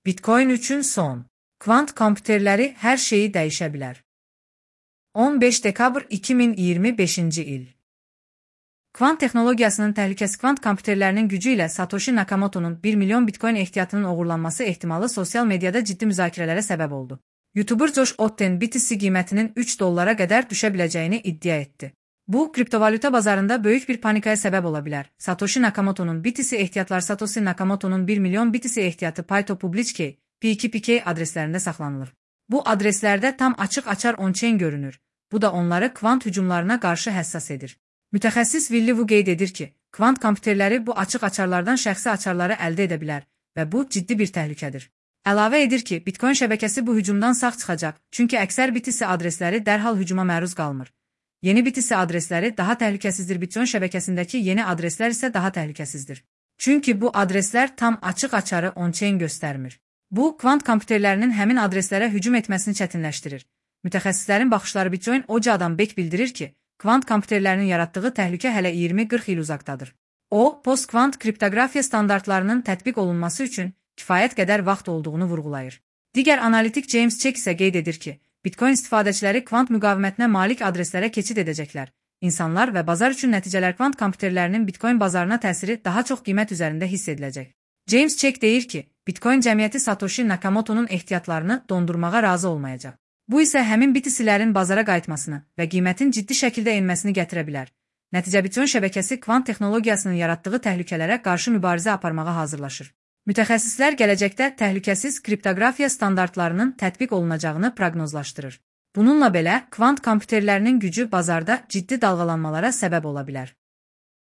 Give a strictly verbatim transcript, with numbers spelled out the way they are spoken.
Bitcoin üçün son. Kvant kompüterləri hər şeyi dəyişə bilər. on beş dekabr iki min iyirmi beşinci il. Kvant texnologiyasının təhlükəsi kvant kompüterlərinin gücü ilə Satoshi Nakamoto'nun bir milyon bitcoin ehtiyatının oğurlanması ehtimalı sosial mediada ciddi müzakirələrə səbəb oldu. YouTuber Josh Otten B T C qiymətinin üç dollara qədər düşə biləcəyini iddia etdi. Bu, kriptovalyuta bazarında böyük bir panikaya səbəb ola bilər. Satoshi Nakamoto'nun B T C ehtiyatlar Satoshi Nakamoto'nun bir milyon B T C ehtiyatı Pyto Public P iki P K adreslərində saxlanılır. Bu adreslərdə tam açıq-açar on-chain görünür. Bu da onları kvant hücumlarına qarşı həssas edir. Mütəxəssis Willy Wu qeyd edir ki, kvant kompüterləri bu açıq-açarlardan şəxsi açarları əldə edə bilər və bu ciddi bir təhlükədir. Əlavə edir ki, Bitcoin şəbəkəsi bu hücumdan sağ çıxacaq, çünki əksər B T C adresləri dərhal hücuma məruz qalmır. Yeni B T C adresləri daha təhlükəsizdir, Bitcoin şəbəkəsindəki yeni adreslər isə daha təhlükəsizdir. Çünki bu adreslər tam açıq-açarı on-chain göstərmir. Bu, kvant kompüterlərinin həmin adreslərə hücum etməsini çətinləşdirir. Mütəxəssislərin baxışları Bitcoin Ocağıdan Bek bildirir ki, kvant kompüterlərinin yaratdığı təhlükə hələ iyirmi qırx il uzaqdadır. O, post-kvant kriptoqrafiya standartlarının tətbiq olunması üçün kifayət qədər vaxt olduğunu vurğulayır. Digər analitik James Check isə qeyd edir ki, Bitcoin istifadəçiləri kvant müqavimətinə malik adreslərə keçid edəcəklər. İnsanlar və bazar üçün nəticələr kvant kompüterlərinin Bitcoin bazarına təsiri daha çox qiymət üzərində hiss ediləcək. James Check deyir ki, Bitcoin cəmiyyəti Satoshi Nakamoto'nun ehtiyatlarını dondurmağa razı olmayacaq. Bu isə həmin B T C'lərin bazara qayıtmasını və qiymətin ciddi şəkildə enməsini gətirə bilər. Nəticə Bitcoin şəbəkəsi kvant texnologiyasının yaratdığı təhlükələrə qarşı mübarizə aparmağa hazırlaşır. Mütəxəssislər gələcəkdə təhlükəsiz kriptoqrafiya standartlarının tətbiq olunacağını proqnozlaşdırır. Bununla belə, kvant kompüterlərinin gücü bazarda ciddi dalğalanmalara səbəb ola bilər.